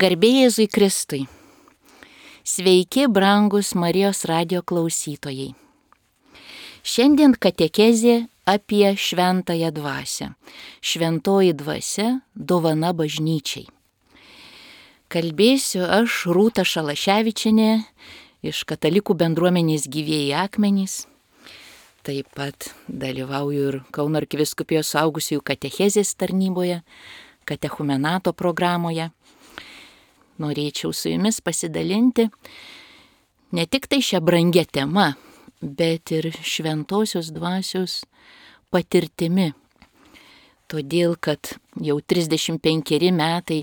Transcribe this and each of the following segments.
Garbė Jėzui Kristui. Sveiki, brangus Marijos radijo klausytojai. Šiandien katekezė apie šventąją dvasią. Šventoji dvasia dovana bažnyčiai. Kalbėsiu aš, Rūta Šalaševičienė, iš Katalikų bendruomenės Gyvieji akmenys. Taip pat dalyvauju ir Kauno arkivyskupijos suaugusiųjų katechezės tarnyboje, katechumenato programoje. Norėčiau su jumis pasidalinti ne tik tai šią brangią temą, bet ir šventosios dvasios patirtimi. Todėl, kad jau 35 metai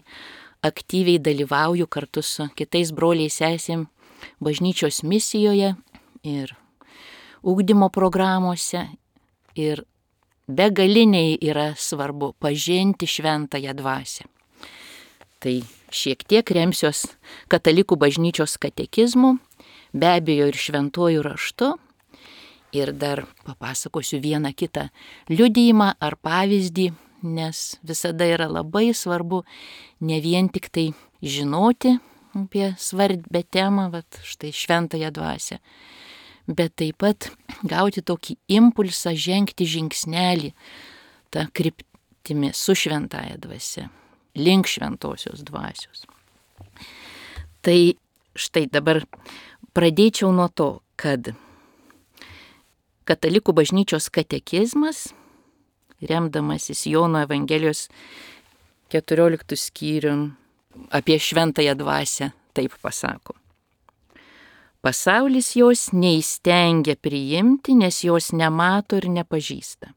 aktyviai dalyvauju kartu su kitais broliais sesėm bažnyčios misijoje ir ugdymo programuose. Ir begaliniai yra svarbu pažinti šventąją dvasią. Tai šiek tiek remsiuos Katalikų bažnyčios katekizmu, be abejo ir šventuoju raštu. Ir dar papasakosiu vieną kitą liudijimą ar pavyzdį, nes visada yra labai svarbu ne vien tik tai žinoti apie svarbę temą, štai šventąją dvasią, bet taip pat gauti tokį impulsą žengti žingsnelį tą kryptimi su šventąja dvasia, link šventosios dvasios. Tai štai dabar pradėčiau nuo to, kad Katalikų bažnyčios katekizmas, remdamasis Jono Evangelijos 14 skyrium apie šventąją dvasią, taip pasako. Pasaulis jos neįstengia priimti, nes jos nemato ir nepažįsta.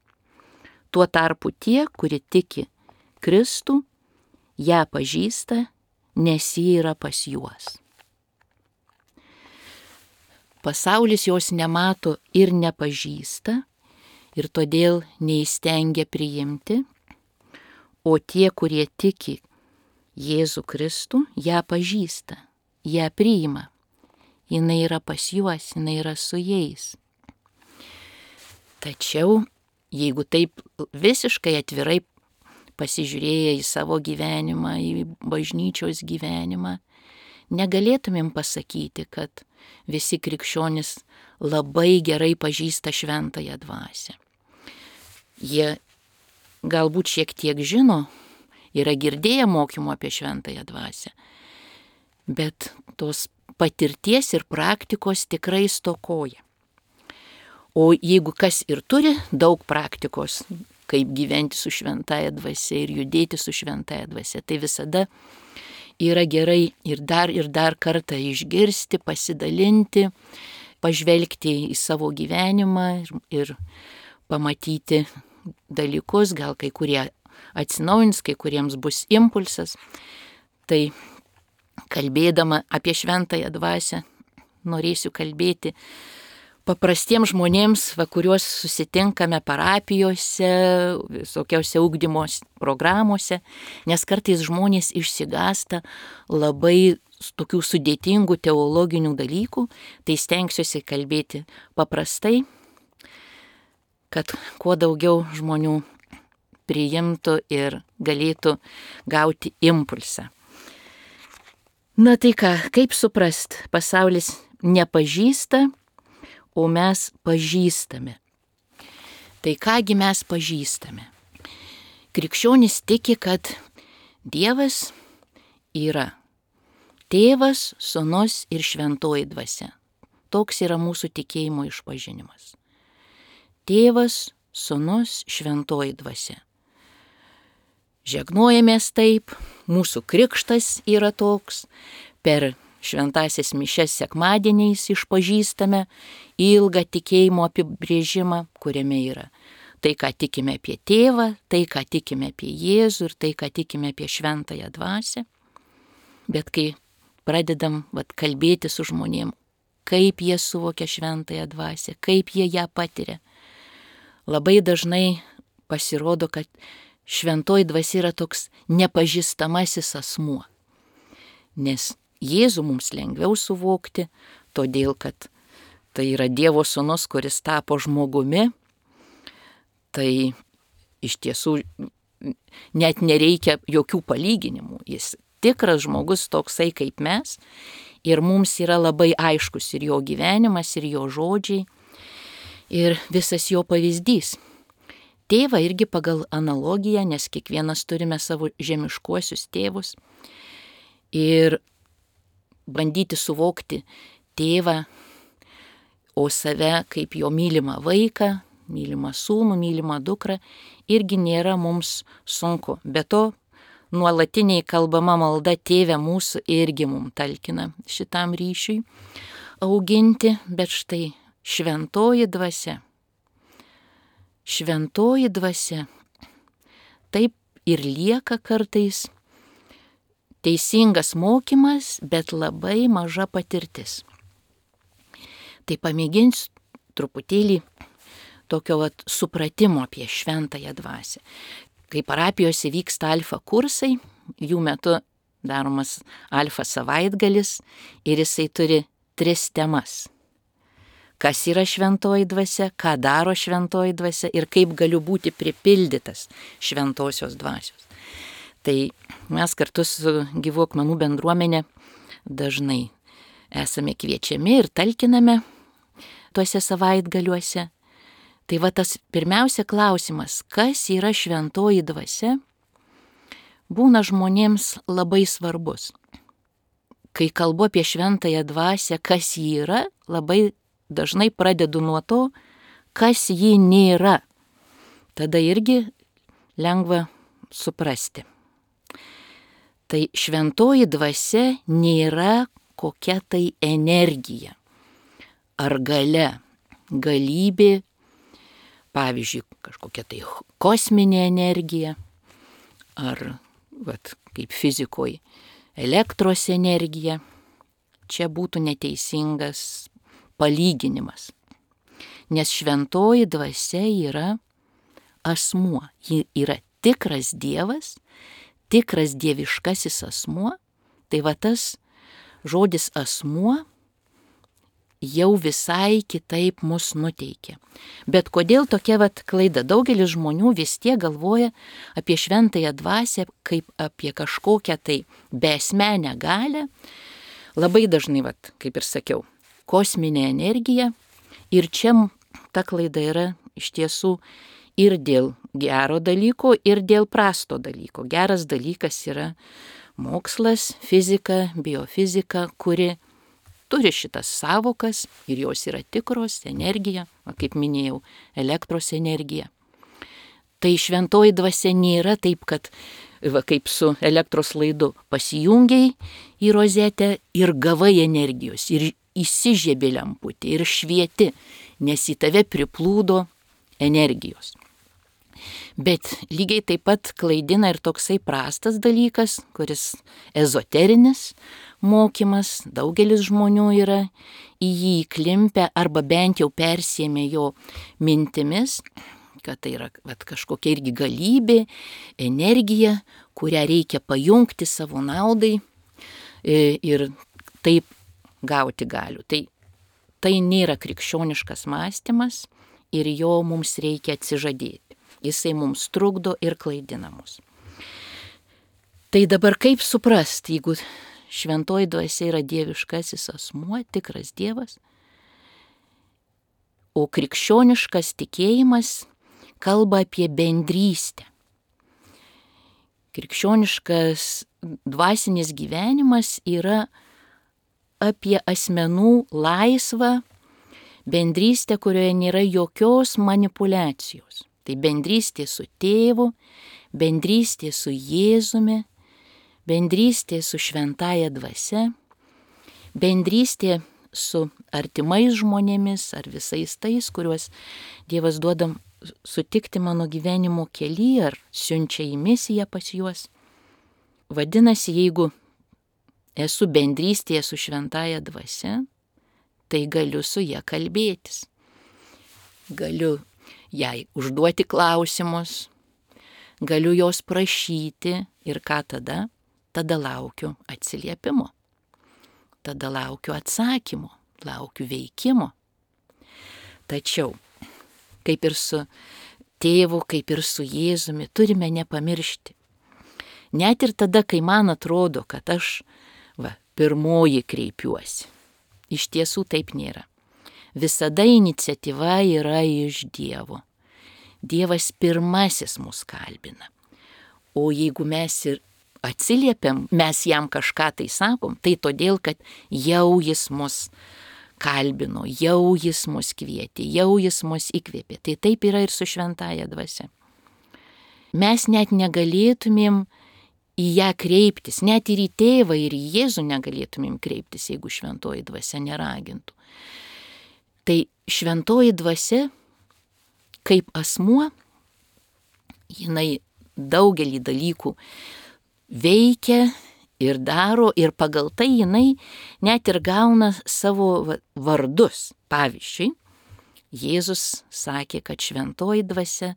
Tuo tarpu tie, kurie tiki Kristų, ją pažįsta, nes ji yra pas juos. Pasaulis jos nemato ir nepažįsta ir todėl neįstengia priimti, o tie, kurie tiki Jėzų Kristų, ją pažįsta, ją priima. Jinai yra pas juos, jinai yra su jais. Tačiau, jeigu taip visiškai atvirai pasižiūrėję į savo gyvenimą, į bažnyčios gyvenimą, negalėtumėm pasakyti, kad visi krikščionys labai gerai pažįsta šventąją dvasią. Jie galbūt šiek tiek žino, yra girdėję mokymų apie šventąją dvasią, bet tos patirties ir praktikos tikrai stokoja. O jeigu kas ir turi daug praktikos, kaip gyventi su šventąja dvasia ir judėti su šventąja dvasia, tai visada yra gerai ir dar kartą išgirsti, pasidalinti, pažvelgti į savo gyvenimą ir pamatyti dalykus, gal kai kurie atsinaujins, kai kuriems bus impulsas. Tai kalbėdama apie šventąją dvasią, norėsiu kalbėti paprastiems žmonėms, kuriuos susitinkame parapijose, visokiausiose ugdymo programuose, nes kartais žmonės išsigąsta labai tokių sudėtingų teologinių dalykų, tai stengsiuosi kalbėti paprastai, kad kuo daugiau žmonių priimtų ir galėtų gauti impulsą. Na tai ką, kaip suprast, pasaulis nepažįsta, o mes pažįstame. Tai kągi mes pažįstame? Krikščionys tiki, kad Dievas yra Tėvas, Sūnus ir Šventoji dvasia. Toks yra mūsų tikėjimo išpažinimas. Tėvas, Sūnus, Šventoji dvasia. Žegnojamės taip, mūsų krikštas yra toks, per šventąsias mišias sekmadieniais išpažįstame ilgą tikėjimo apibrėžimą, kuriame yra tai, ką tikime apie Tėvą, tai, ką tikime apie Jėzų ir tai, ką tikime apie šventąją dvasią. Bet kai pradedam kalbėti su žmonėm, kaip jie suvokia šventąją dvasią, kaip jie ją patiria, labai dažnai pasirodo, kad šventoji dvasia yra toks nepažįstamasis asmuo. Nes Jėzų mums lengviau suvokti, todėl kad tai yra Dievo Sūnus, kuris tapo žmogumi. Tai iš tiesų net nereikia jokių palyginimų. Jis tikras žmogus toksai kaip mes ir mums yra labai aiškus ir jo gyvenimas, ir jo žodžiai, ir visas jo pavyzdys. Tėvą irgi pagal analogiją, nes kiekvienas turime savo žemiškuosius tėvus ir bandyti suvokti tėvą, o save kaip jo mylimą vaiką, mylimą sūnų, mylimą dukrą, irgi nėra mums sunku. Be to, nuolatiniai kalbama malda Tėve mūsų irgi mums talkina šitam ryšiui auginti, bet štai šventoji dvasia. Šventoji dvasia taip ir lieka kartais teisingas mokymas, bet labai maža patirtis. Tai pamėginsiu truputėlį tokio supratimo apie šventąją dvasią. Kai parapijose vyksta alfa kursai, jų metu daromas alfa savaitgalis ir jisai turi 3 temas. Kas yra šventoji dvasia, ką daro šventoji dvasia ir kaip galiu būti pripildytas šventosios dvasios. Tai mes kartu su Gyvų akmenų bendruomenė dažnai esame kviečiami ir talkiname tuose savaitgaliuose. Tai va tas pirmiausia klausimas, kas yra šventoji dvasia, būna žmonėms labai svarbus. Kai kalbu apie šventąją dvasią, kas ji yra, labai dažnai pradedu nuo to, kas ji nėra. Tada irgi lengva suprasti. Tai šventoji dvasia nėra kokia tai energija ar galia, galybė, pavyzdžiui, kažkokia tai kosminė energija ar kaip fizikoje elektros energija. Čia būtų neteisingas palyginimas, nes šventoji dvasia yra asmuo, ji yra tikras Dievas, tikras dieviškasis asmuo. Tai va tas žodis asmuo jau visai kitaip mus nuteikia. Bet kodėl tokia klaida? Daugelis žmonių vis tiek galvoja apie šventąją dvasią kaip apie kažkokią tai beasmenę galią. Labai dažnai, kaip ir sakiau, kosminė energija. Ir čia ta klaida yra iš tiesų ir dėl gero dalyko, ir dėl prasto dalyko. Geras dalykas yra mokslas, fizika, biofizika, kuri turi šitas savokas ir jos yra tikros, energija, kaip minėjau, elektros energija. Tai šventoji dvasia nėra taip, kad kaip su elektros laidu pasijungiai į rozetę ir gavai energijos, ir įsižiebė lemputė, ir švieti, nes į tave priplūdo energijos. Bet lygiai taip pat klaidina ir toksai prastas dalykas, kuris ezoterinis mokymas, daugelis žmonių yra į jį įklimpę arba bent jau persėmė jo mintimis, kad tai yra kažkokia irgi galybė, energija, kurią reikia pajungti savo naudai ir taip gauti galių. Tai nėra krikščioniškas mąstymas ir jo mums reikia atsižadėti. Jisai mums trukdo ir klaidina mus. Tai dabar kaip suprasti, jeigu šventoji dvasia yra dieviškasis asmuo, tikras Dievas, o krikščioniškas tikėjimas kalba apie bendrystę. Krikščioniškas dvasinis gyvenimas yra apie asmenų laisvą bendrystę, kurioje nėra jokios manipulacijos. Tai bendrystė su tėvu, bendrystė su Jėzumi, bendrystė su šventąja dvasia, bendrystė su artimais žmonėmis ar visais tais, kuriuos Dievas duoda sutikti mano gyvenimo kely ar siunčia į misiją pas juos. Vadinasi, jeigu esu bendrystėje su šventąja dvasia, tai galiu su ja kalbėtis. Galiu jai užduoti klausimus, galiu jos prašyti ir ką tada? Tada laukiu atsiliepimo, tada laukiu atsakymo, laukiu veikimo. Tačiau, kaip ir su tėvu, kaip ir su Jėzumi, turime nepamiršti. Net ir tada, kai man atrodo, kad aš pirmoji kreipiuosi. Iš tiesų taip nėra. Visada iniciatyva yra iš Dievo. Dievas pirmasis mus kalbina. O jeigu mes ir atsiliepiam, mes jam kažką tai sakom, tai todėl, kad jau jis mus kalbino, jau jis mus kvietė, jau jis mus įkvėpė. Tai taip yra ir su šventąja dvasia. Mes net negalėtumėm į ją kreiptis, net ir į tėvą, ir į Jėzų negalėtumėm kreiptis, jeigu šventoji dvasia neragintų. Tai šventoji dvasia, kaip asmuo, jinai daugelį dalykų veikia ir daro, ir pagal tai jinai net ir gauna savo vardus. Pavyzdžiui, Jėzus sakė, kad šventoji dvasia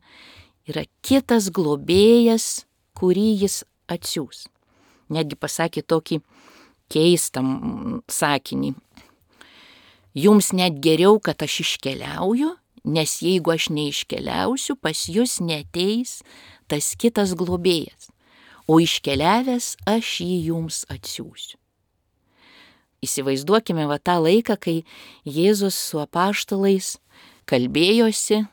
yra kitas globėjas, kurį jis atsiųs. Netgi pasakė tokį keistą sakinį. Jums net geriau, kad aš iškeliauju, nes jeigu aš neiškeliausiu, pas jūs neateis tas kitas globėjas, o iškeliavęs aš jį jums atsiųsiu. Įsivaizduokime tą laiką, kai Jėzus su apaštalais kalbėjosi,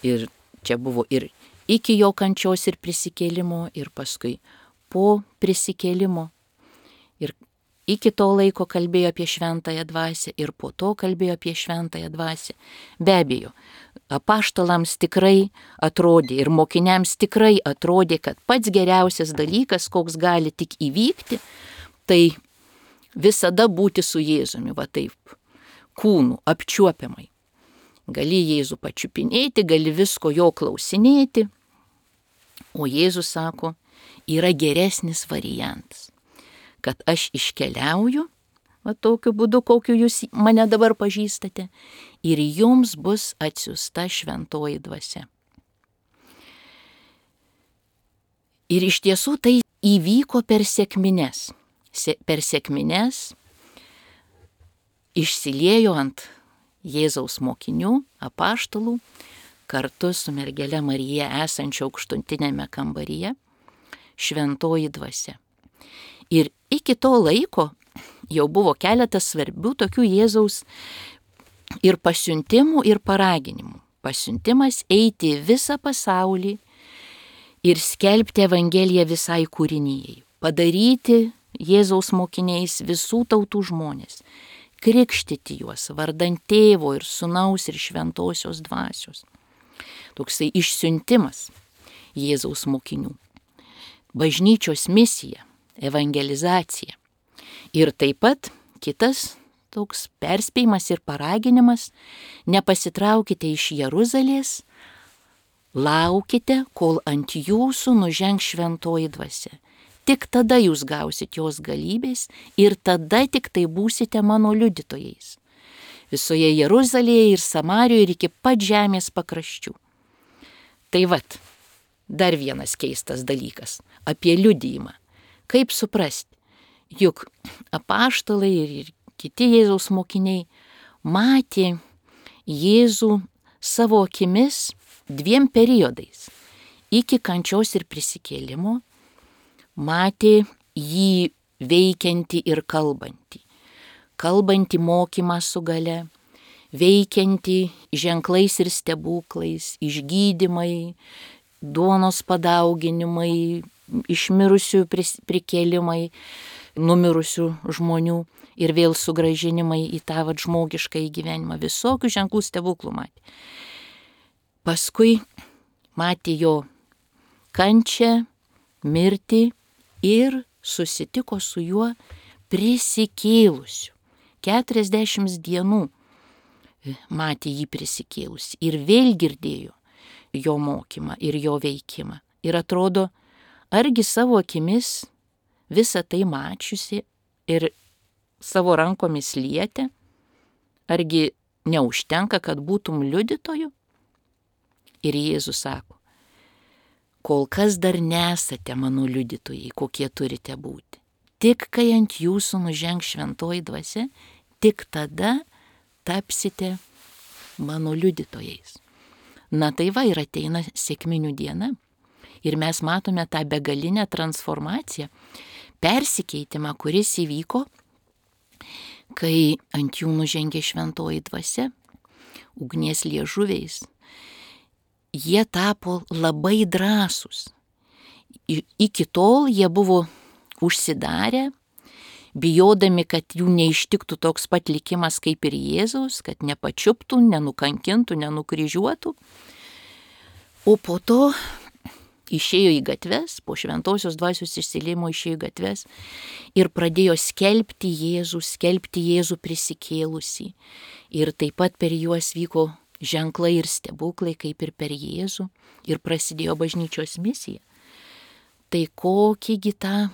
ir čia buvo ir iki jo kančios ir prisikėlimo, ir paskui po prisikėlimo. Ir iki to laiko kalbėjo apie šventąją dvasią, ir po to kalbėjo apie šventąją dvasią. Be abejo, apaštalams tikrai atrodė ir mokiniams tikrai atrodė, kad pats geriausias dalykas, koks gali tik įvykti, tai visada būti su Jėzumi, taip, kūnu, apčiuopiamai. Gali Jėzų pačiupinėti, gali visko jo klausinėti, o Jėzus sako, yra geresnis variantas, kad aš iškeliauju, tokiu būdu, kokiu jūs mane dabar pažįstate, ir jums bus atsiųsta šventoji dvasia. Ir iš tiesų tai įvyko per sekmines. Per sekmines išsiliejo ant Jėzaus mokinių, apaštalų, kartu su mergele Marija esančio aukštutinėme kambaryje, šventoji dvasia. Ir iki to laiko jau buvo keletas svarbių tokių Jėzaus ir pasiuntimų, ir paraginimų. Pasiuntimas eiti į visą pasaulį ir skelbti Evangeliją visai kūrinijai. Padaryti Jėzaus mokiniais visų tautų žmonės. Krikštyti juos vardant Tėvo ir Sūnaus ir Šventosios dvasios. Toksai išsiuntimas Jėzaus mokinių. Bažnyčios misija, evangelizacija. Ir taip pat kitas toks perspėjimas ir paraginimas, nepasitraukite iš Jeruzalės, laukite, kol ant jūsų nužengs šventoji dvasia. Tik tada jūs gausit jos galybės ir tada tik tai būsite mano liudytojais. Visoje Jeruzalėje ir Samarijoje ir iki pat žemės pakraščių. Tai dar vienas keistas dalykas apie liudijimą. Kaip suprasti? Juk apaštalai ir kiti Jėzaus mokiniai matė Jėzų savo akimis 2 periodais. Iki kančios ir prisikėlimo matė jį veikiantį ir kalbantį. Kalbantį mokymą su gale, veikiantį ženklais ir stebuklais, išgydymai, duonos padauginimai, išmirusių prikėlimai, numirusių žmonių ir vėl sugrąžinimai į tą žmogišką gyvenimą. Visokių ženklų stebuklų matė. Paskui matė jo kančią, mirtį ir susitiko su juo prisikėlusiu. 40 dienų matė jį prisikėlusi ir vėl girdėjo jo mokymą ir jo veikimą. Ir atrodo, argi savo akimis visą tai mačiusi ir savo rankomis lietė, argi neužtenka, kad būtum liudytoju? Ir Jėzus sako, kol kas dar nesate mano liudytojai, kokie turite būti. Tik kai ant jūsų nužengs šventoji dvasia, tik tada tapsite mano liudytojais. Na tai ir ateina sekminių diena. Ir mes matome tą begalinę transformaciją, persikeitimą, kuris įvyko, kai ant jų nužengė šventoji dvasia, ugnies liežuviais. Jie tapo labai drąsūs. Iki tol jie buvo užsidarę, bijodami, kad jų neištiktų toks pat likimas kaip ir Jėzaus, kad nepačiuptų, nenukankintų, nenukryžiuotų. O po to išėjo į gatves, po šventosios dvasios išsiliejimo išėjo į gatves ir pradėjo skelbti Jėzų prisikėlusį. Ir taip pat per juos vyko ženklai ir stebuklai, kaip ir per Jėzų, ir prasidėjo bažnyčios misija. Tai kokįgi tą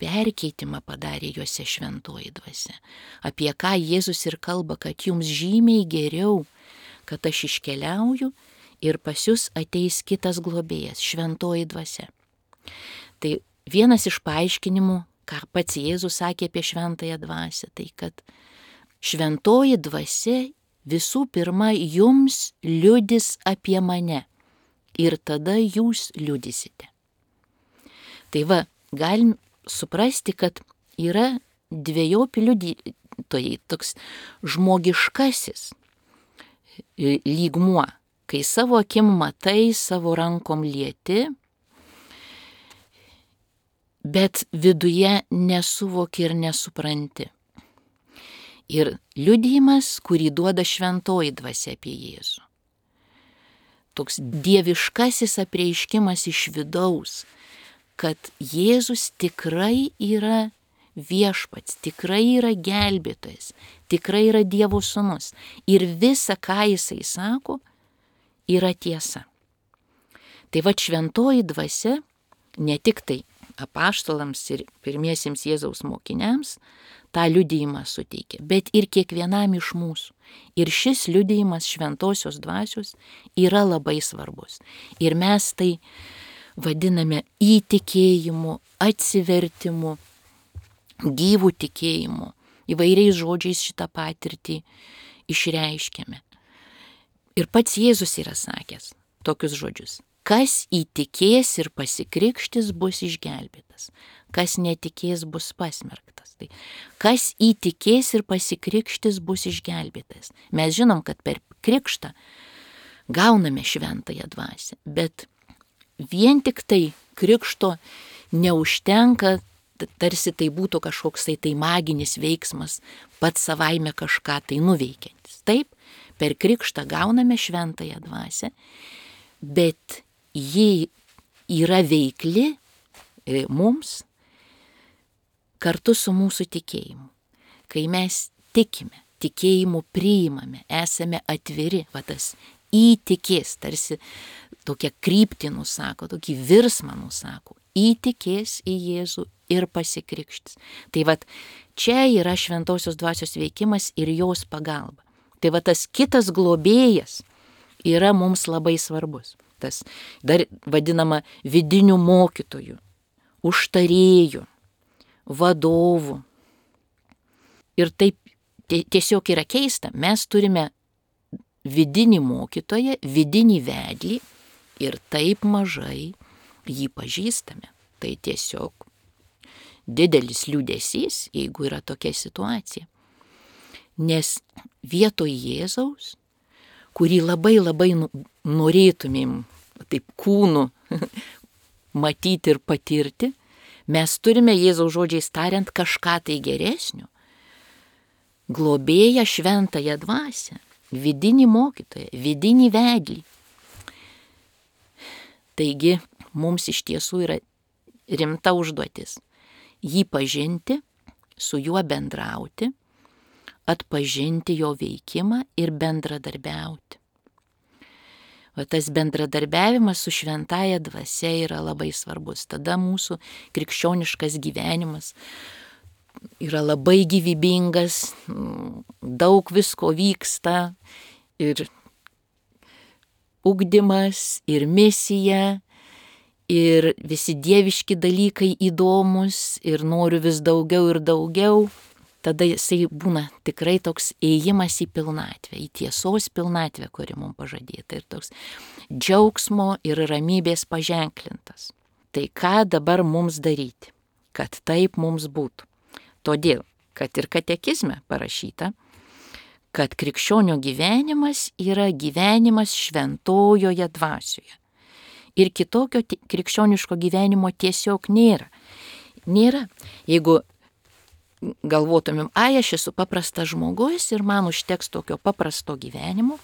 perkeitimą padarė juose šventoji dvasia. Apie ką Jėzus ir kalba, kad jums žymiai geriau, kad aš iškeliauju ir pas jūs ateis kitas globėjas, šventoji dvasia. Tai vienas iš paaiškinimų, ką pats Jėzus sakė apie šventąją dvasią, tai kad šventoji dvasia visų pirma jums liudys apie mane ir tada jūs liudysite. Tai va, galim suprasti, kad yra dvejopi liudytojai, toks žmogiškasis lygmuo, kai savo akim matai, savo rankom lieti, bet viduje nesuvoki ir nesupranti. Ir liudijimas, kurį duoda šventoji dvasia apie Jėzų. Toks dieviškasis apreiškimas iš vidaus, kad Jėzus tikrai yra viešpats, tikrai yra gelbėtojas, tikrai yra Dievo sūnus. Ir visa, ką jisai sako, yra tiesa. Tai va šventoji dvasia ne tik tai apaštalams ir pirmiesiems Jėzaus mokiniams tą liudijimą suteikia, bet ir kiekvienam iš mūsų. Ir šis liudijimas šventosios dvasios yra labai svarbus. Ir mes tai vadiname įtikėjimu, atsivertimu, gyvų tikėjimu. Įvairiais žodžiais šitą patirtį išreiškiame. Ir pats Jėzus yra sakęs tokius žodžius. Kas įtikės ir pasikrikštis bus išgelbėtas, kas netikės bus pasmerktas. Tai kas įtikės ir pasikrikštis bus išgelbėtas. Mes žinom, kad per krikštą gauname šventąją dvasią, bet vien tik tai krikšto neužtenka, tarsi tai būtų kažkoks tai maginis veiksmas, pats savaime kažką tai nuveikiantis. Taip, per krikštą gauname šventąją dvasią, bet ji yra veikli mums kartu su mūsų tikėjimu. Kai mes tikime, tikėjimu priimame, esame atviri, va tas įtikės, tarsi tokią kryptį nusako, tokį virsmą nusako, įtikės į Jėzų ir pasikrikštis. Tai va čia yra šventosios dvasios veikimas ir jos pagalba. Tai va tas kitas globėjas yra mums labai svarbus. Tas dar vadinama vidinių mokytojų, užtarėjų, vadovų. Ir taip tiesiog yra keista, mes turime vidinį mokytoją, vidinį vedlį ir taip mažai jį pažįstame. Tai tiesiog didelis liūdesys, jeigu yra tokia situacija. Nes vietoj Jėzaus, kurį labai norėtumėm taip kūnu matyti ir patirti, mes turime Jėzaus žodžiais tariant kažką tai geresnio. Globėją šventąją dvasią, vidinį mokytoją, vidinį vedlį. Taigi mums iš tiesų yra rimta užduotis jį pažinti, su juo bendrauti, atpažinti jo veikimą ir bendradarbiauti. O tas bendradarbiavimas su šventąja dvasia yra labai svarbus. Tada mūsų krikščioniškas gyvenimas yra labai gyvybingas, daug visko vyksta ir ugdymas, ir misija, ir visi dieviški dalykai įdomus ir noriu vis daugiau ir daugiau. tada jisai būna tikrai toks ėjimas į pilnatvę, į tiesos pilnatvę, kuri mums pažadėta, ir toks džiaugsmo ir ramybės paženklintas. Tai ką dabar mums daryti, kad taip mums būtų? Todėl, kad ir katekizme parašyta, kad krikščionio gyvenimas yra gyvenimas šventojoje dvasioje. Ir kitokio krikščioniško gyvenimo tiesiog nėra. Nėra. Jeigu galvotumėm, aš esu paprastas žmogus ir man užteks tokio paprasto gyvenimo,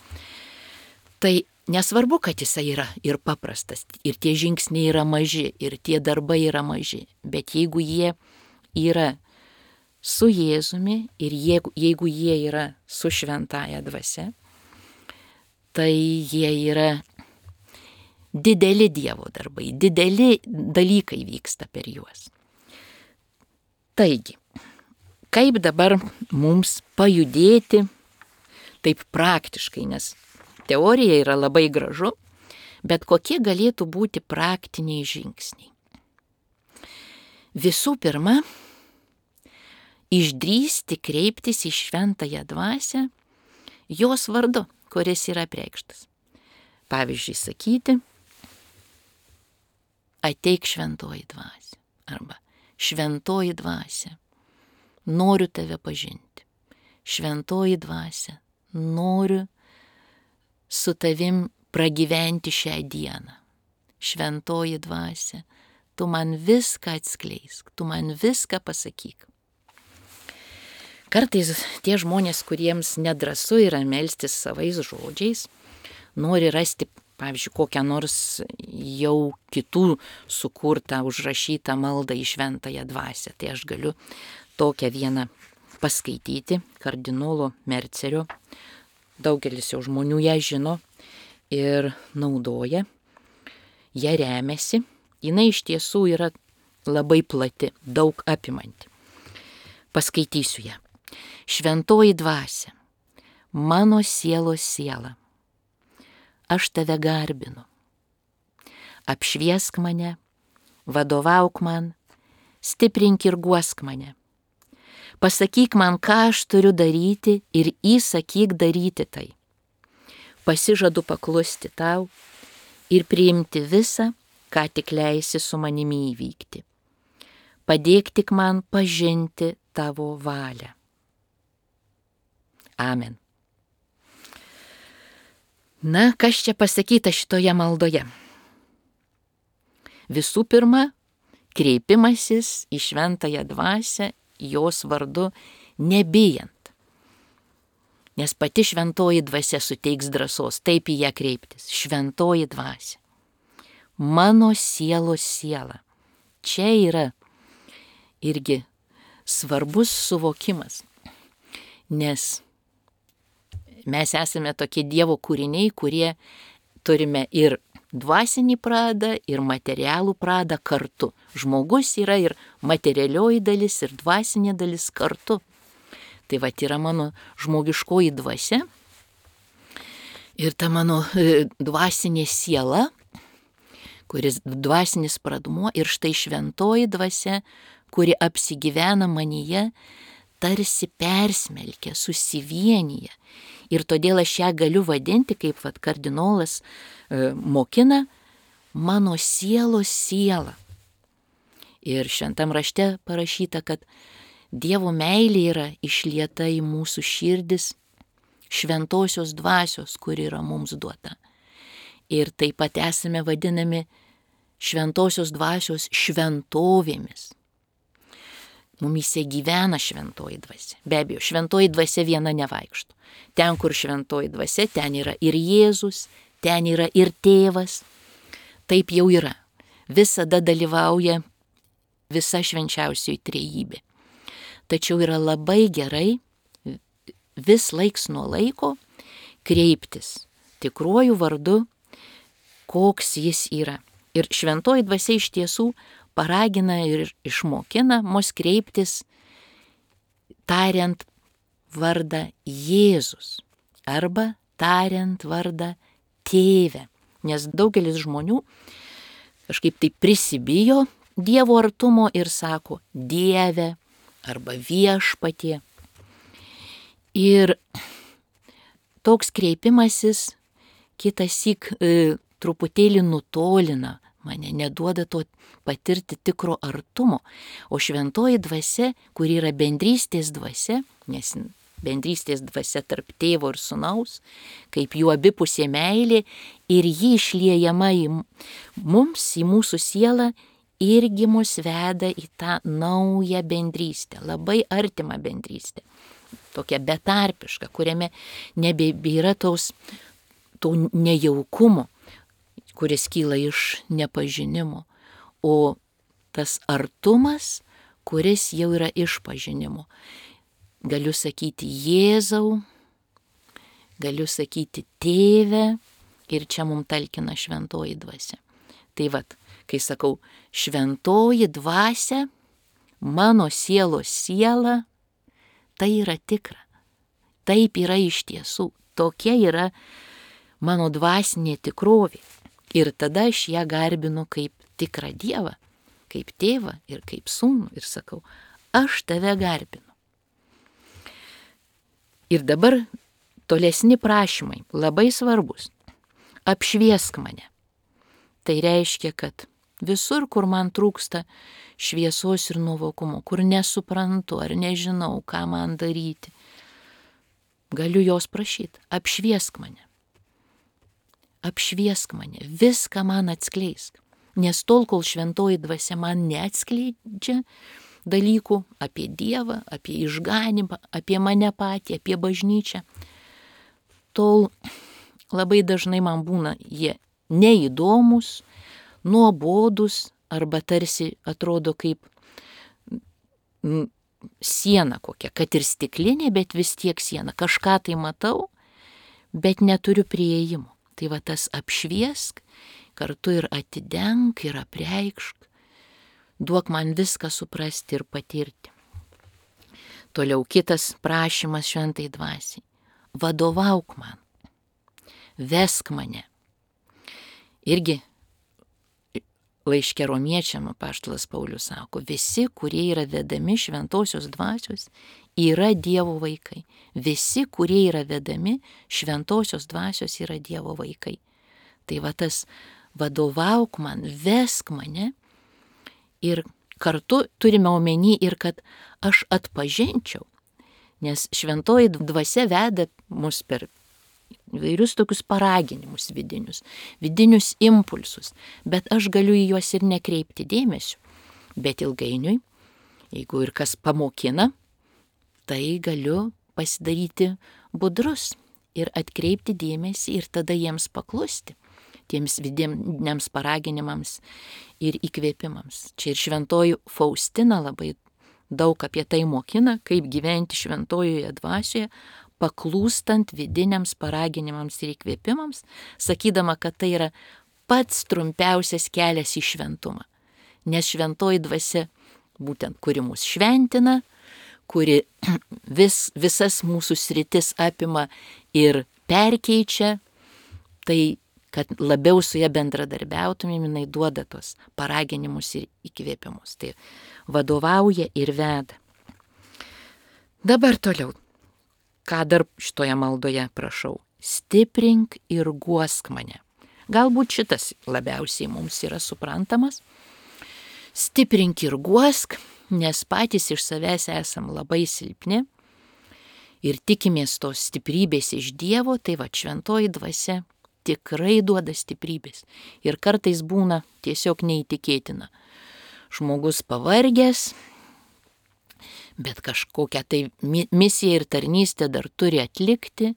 tai nesvarbu, kad jisai yra ir paprastas, ir tie žingsniai yra maži, ir tie darbai yra maži, bet jeigu jie yra su Jėzumi ir jeigu jie yra su šventaja dvasia, tai jie yra dideli Dievo darbai, dideli dalykai vyksta per juos. Taigi, kaip dabar mums pajudėti taip praktiškai, nes teorija yra labai gražu, bet kokie galėtų būti praktiniai žingsniai? Visų pirma, išdrįsti kreiptis į šventąją dvasią jos vardu, kuris yra apreikštas. Pavyzdžiui, sakyti, ateik šventoji dvasia, arba šventoji dvasia, noriu tave pažinti. Šventoji dvasia, noriu su tavim pragyventi šią dieną. Šventoji dvasia, tu man viską atskleisk, tu man viską pasakyk. Kartais tie žmonės, kuriems nedrąsu yra melstis savais žodžiais, nori rasti, pavyzdžiui, kokią nors jau kitų sukurtą, užrašytą maldą į šventąją dvasią. Tai aš galiu tokią vieną paskaityti, kardinolo Mercerio. Daugelis jau žmonių ją žino ir naudoja, ją remiasi. Jinai iš tiesų yra labai plati, daug apimanti. Paskaitysiu ją. Šventoji dvasia, mano sielos siela, aš tave garbinu. Apšviesk mane, vadovauk man, stiprink ir guosk mane. Pasakyk man, ką aš turiu daryti ir įsakyk daryti tai. Pasižadu paklusti tau ir priimti visą, ką tik leisi su manimi įvykti. Padėk tik man pažinti tavo valią. Amen. Na, kas čia pasakyta šitoje maldoje? Visų pirma, kreipimasis į šventąją dvasią, jos vardu nebijant. Nes pati šventoji dvasia suteiks drąsos taip į ją kreiptis. Šventoji dvasia, mano sielos siela. Čia yra irgi svarbus suvokimas, nes mes esame tokie Dievo kūriniai, kurie turime ir dvasinį pradą, ir materialų pradą kartu. Žmogus yra ir materialioji dalis, ir dvasinė dalis kartu. Tai vat yra mano žmogiškoji dvasia ir ta mano dvasinė siela, kuris dvasinis pradmuo, ir štai šventoji dvasia, kuri apsigyvena manyje, tarsi persmelkia, susivienyje. Ir todėl aš ją galiu vadinti, kaip vat kardinolas mokina, mano sielos siela. Ir šventam rašte parašyta, kad Dievo meilė yra išlieta į mūsų širdis šventosios dvasios, kuri yra mums duota. Ir taip pat esame vadinami šventosios dvasios šventovėmis. Mumyse gyvena šventoji dvasia. Be abejo, šventoji dvasia viena nevaikšto. Ten, kur šventoji dvasia, ten yra ir Jėzus, ten yra ir Tėvas. Taip jau yra. Visada dalyvauja visa švenčiausioji trejybė. Tačiau yra labai gerai vis laiks nuo laiko kreiptis tikruoju vardu, koks jis yra. Ir šventoji dvasia iš tiesų paragina ir išmokina mus kreiptis tariant vardą Jėzus arba tariant vardą Tėve. Nes daugelis žmonių kažkaip tai prisibijo Dievo artumo ir sako Dieve arba Viešpatie. Ir toks kreipimasis kitąsyk truputėlį nutolina mane, neduoda to patirti tikro artumo. O šventoji dvasia, kuri yra bendrystės dvasia, nes bendrystės dvasia tarp tėvo ir sūnaus, kaip jų abipusė meilė, ir ji išliejama į mums, į mūsų sielą, irgi mus veda į tą naują bendrystę, labai artimą bendrystę, tokią betarpišką, kuriame nebėra to nejaukumo, kuris kyla iš nepažinimo, o tas artumas, kuris jau yra iš pažinimo. Galiu sakyti Jėzau, galiu sakyti Tėve, ir čia mums talkina šventoji dvasia. Tai vat, kai sakau šventoji dvasia, mano sielos siela, tai yra tikra. Taip yra iš tiesų. Tokia yra mano dvasinė tikrovė. Ir tada aš ją garbinu kaip tikrą Dievą, kaip tėvą ir kaip sūnų. Ir sakau, aš tave garbinu. Ir dabar tolesni prašymai, labai svarbus. Apšviesk mane. Tai reiškia, kad visur, kur man trūksta šviesos ir nuovokumo, kur nesuprantu ar nežinau, ką man daryti, galiu jos prašyti. Apšviesk mane. Apšviesk mane. Viską man atskleisk. Nes tol, kol šventoji dvasia man neatskleidžia dalykų apie Dievą, apie išganymą, apie mane patį, apie bažnyčią, tol labai dažnai man būna jie neįdomus, nuobodus arba tarsi atrodo kaip siena kokia, kad ir stiklinė, bet vis tiek siena. Kažką tai matau, bet neturiu prieėjimo. Tai va tas apšviesk, kartu ir atidenk, ir apreikšk. Duok man viską suprasti ir patirti. Toliau kitas prašymas šventai dvasiai. Vadovauk man. Vesk mane. Irgi laiške Romiečiam apaštalas Paulius sako, visi, kurie yra vedami šventosios dvasios, yra Dievo vaikai. Visi, kurie yra vedami šventosios dvasios, yra Dievo vaikai. Tai va tas vadovauk man, vesk mane. Ir kartu turime omeny ir kad aš atpažinčiau, nes šventoji dvasia veda mus per vairius tokius paraginimus vidinius impulsus, bet aš galiu į juos ir nekreipti dėmesio. Bet ilgainiui, jeigu ir kas pamokina, tai galiu pasidaryti budrus ir atkreipti dėmesį ir tada jiems paklusti, tiems vidiniams paraginimams ir įkvėpimams. Čia ir šventoji Faustina labai daug apie tai mokina, kaip gyventi šventojoje dvasioje, paklūstant vidiniams paraginimams ir įkvėpimams, sakydama, kad tai yra pats trumpiausias kelias į šventumą. Nes šventoji dvasia, būtent kuri mus šventina, kuri visas mūsų sritis apima ir perkeičia, tai kad labiau su ją bendradarbiautumėm, jinai duoda tos paraginimus ir įkvėpimus. Tai vadovauja ir veda. Dabar toliau. Ką dar šitoje maldoje prašau? Stiprink ir guosk mane. Galbūt šitas labiausiai mums yra suprantamas. Stiprink ir guosk, nes patys iš savęs esam labai silpni ir tikimės tos stiprybės iš Dievo, tai va šventoji dvasia tikrai duoda stiprybės. Ir kartais būna tiesiog neįtikėtina. Žmogus pavargęs, bet kažkokią tai misiją ir tarnystę dar turi atlikti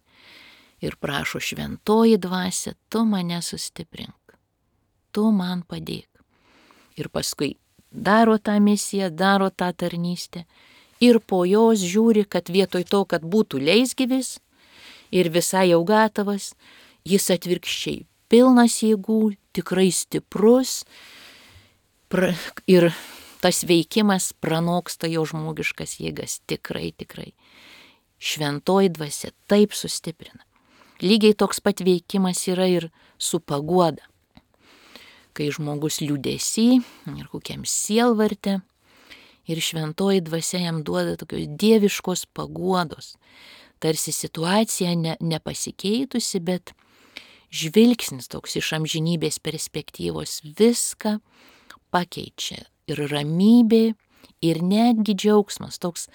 ir prašo šventoji dvasia, tu mane sustiprink, tu man padėk. Ir paskui daro tą misiją, daro tą tarnystę ir po jos žiūri, kad vietoj to, kad būtų leisgyvis ir visai jau gatavas, jis atvirkščiai pilnas jėgų, tikrai stiprus ir tas veikimas pranoksta jo žmogiškas jėgas. Tikrai. Šventoji dvasia taip sustiprina. Lygiai toks pat veikimas yra ir su paguoda. Kai žmogus liūdesy ir kokiam sielvarte ir šventoji dvasia jam duoda tokios dieviškos paguodos. tarsi situacija nepasikeitusi, bet žvilgsnis toks iš amžinybės perspektyvos viską pakeičia. Ir ramybė, ir netgi džiaugsmas, toks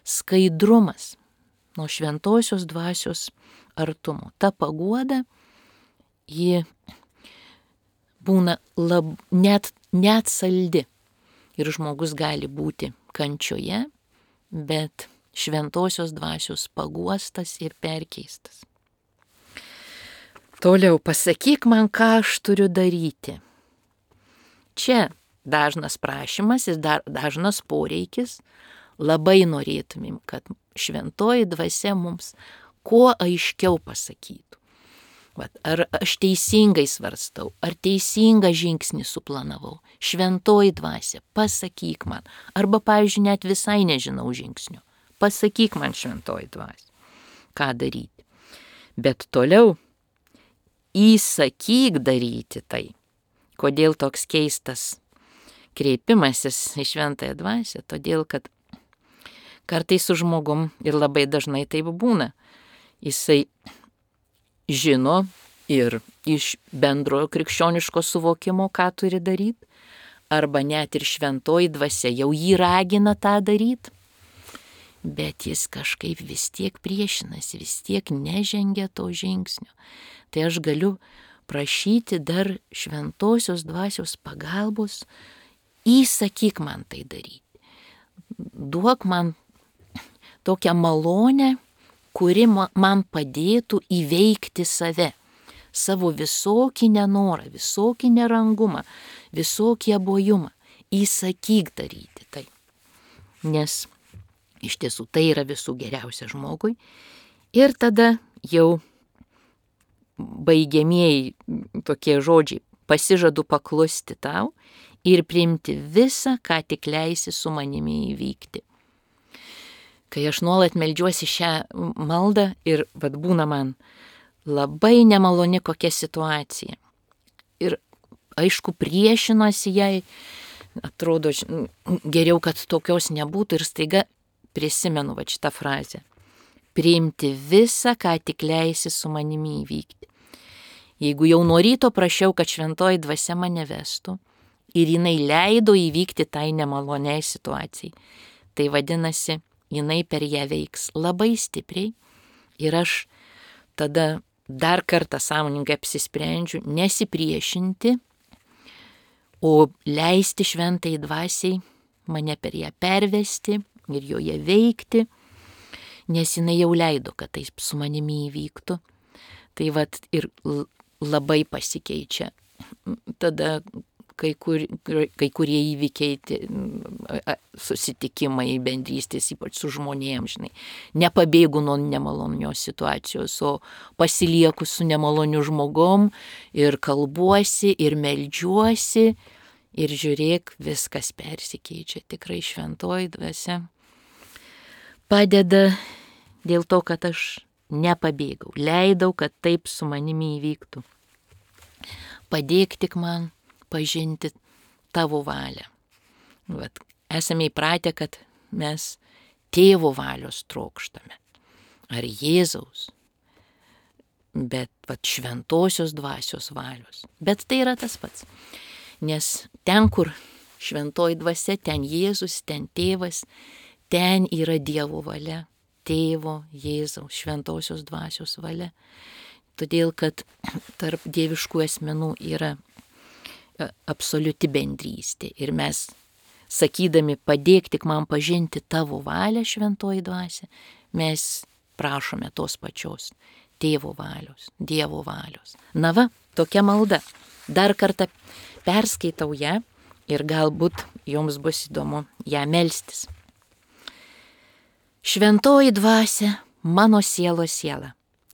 skaidrumas nuo šventosios dvasios artumo. Ta paguoda, ji būna net saldi. Ir žmogus gali būti kančioje, bet šventosios dvasios paguostas ir perkeistas. Toliau, pasakyk man, ką aš turiu daryti. Čia dažnas prašymas ir dažnas poreikis. Labai norėtumėm, kad šventoji dvasia mums kuo aiškiau pasakytų. Ar aš teisingai svarstau, ar teisingą žingsnį suplanavau. Šventoji dvasia, pasakyk man. Arba, pavyzdžiui, net visai nežinau žingsnių. Pasakyk man, šventoji dvasia, ką daryti. Bet toliau įsakyk daryti tai. Kodėl toks keistas kreipimasis į šventąją dvasią? Todėl, kad kartais su žmogum ir labai dažnai taip būna. Jisai žino ir iš bendrojo krikščioniško suvokimo, ką turi daryti, arba net ir šventoji dvasia jau jį ragina tą daryti, bet jis kažkaip vis tiek priešinasi, vis tiek nežengia to žingsnio. Tai aš galiu prašyti dar šventosios dvasios pagalbos, įsakyk man tai daryti. Duok man tokią malonę, kuri man padėtų įveikti save, savo visokį nenorą, visokį nerangumą, visokį abojumą. Įsakyk daryti tai. Nes iš tiesų tai yra visų geriausia žmogui. Ir tada jau baigiamieji tokie žodžiai: pasižadu paklusti tau ir priimti visą, ką tik leisi su manimi įvykti. Kai aš nuolat meldžiuosi šią maldą ir būna man labai nemaloni kokia situacija. Ir aišku, priešinuosi jai, atrodo geriau, kad tokios nebūtų, ir staiga prisimenu šitą frazę: priimti visą, ką tik leisi su manimi įvykti. Jeigu jau nuo ryto prašiau, kad šventoji dvasia mane vestų ir jinai leido įvykti tai nemaloniai situacijai, tai vadinasi, jinai per ją veiks labai stipriai, ir aš tada dar kartą sąmoningai apsisprendžiu nesipriešinti, o leisti šventai dvasiai mane per ją pervesti ir joje veikti, nes jinai jau leido, kad tai su manimi įvyktų. Tai ir labai pasikeičia tada kai kurie įvykiai, susitikimai, bendrystės, ypač su žmonėms, nepabėgu nuo nemalonios situacijos, o pasilieku su nemaloniu žmogum ir kalbuosi ir meldžiuosi, ir žiūrėk, viskas persikeičia. Tikrai šventoji dvasia padeda dėl to, kad aš nepabėgau, leidau, kad taip su manimi įvyktų. Padėk tik man pažinti tavo valią. Esame įpratę, kad mes tėvo valios trokštame, ar Jėzaus, bet šventosios dvasios valios. Bet tai yra tas pats, nes ten, kur šventoji dvasia, ten Jėzus, ten tėvas, ten yra Dievo valia, tėvo, Jėzaus, šventosios dvasios valia. Todėl, kad tarp dieviškų asmenų yra absoliuti bendrystė. Ir mes, sakydami, padėk tik man pažinti tavo valią, šventoji dvasia, mes prašome tos pačios tėvo valios, Dievo valios. Na va, tokia malda. Dar kartą perskaitau ją ir galbūt jums bus įdomu ją melstis. Šventoji dvasia, mano sielos siela,